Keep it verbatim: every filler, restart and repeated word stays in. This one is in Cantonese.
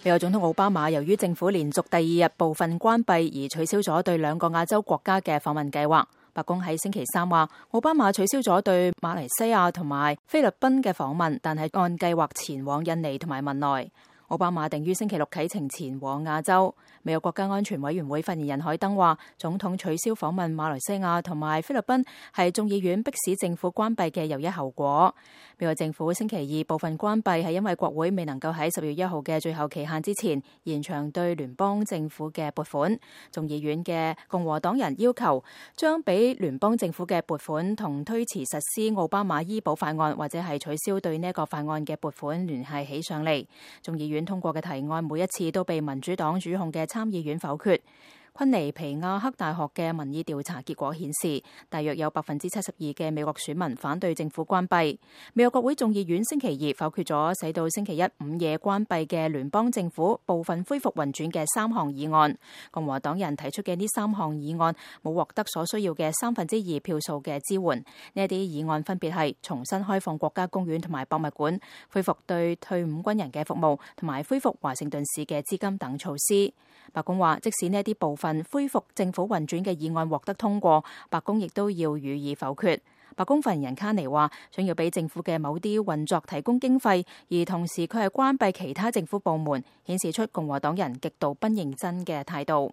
美國總統奧巴馬由於政府連續第二日部分關閉而取消咗對兩個亞洲國家嘅訪問計劃。白宮喺星期三話，奧巴馬取消咗對馬來西亞同埋菲律賓嘅訪問，但係按計劃前往印尼同埋文萊。奧巴馬定於星期六啟程前往亞洲。美國國家安全委員會發言人海登話，總統取消訪問馬來西亞同埋菲律賓係眾議院迫使政府關閉嘅又一後果。美國政府星期二部分關閉係因為國會未能夠喺十月一號嘅最後期限之前延長對聯邦政府嘅撥款。眾議院嘅共和黨人要求將俾聯邦政府嘅撥款同推遲實施奧巴馬醫保法案或者係取消對呢個法案嘅撥款聯繫起上嚟。眾議院通過嘅提案每一次都被民主黨主控嘅參議院否決。昆尼皮亞克大學嘅民意調查結果顯示，大約有百分之七十二嘅美國選民反對政府關閉。美國國會眾議院星期二否決咗使到星期一午夜關閉嘅聯邦政府部分恢復運轉嘅三項議案。共和黨人提出嘅呢三項議案冇獲得所需要嘅三分之二票數嘅支援。呢一啲議案分別係重新開放國家公園同埋博物館、恢復對退伍軍人嘅服務同埋恢復華盛頓市嘅資金等措施。白宮話，即使呢一啲部分恢復政府運轉嘅議案獲得通過，白宮亦都要予以否決。白宮發言人卡尼話，想要俾政府嘅某啲運作提供經費，而同時佢係關閉其他政府部門，顯示出共和黨人極度不認真嘅態度。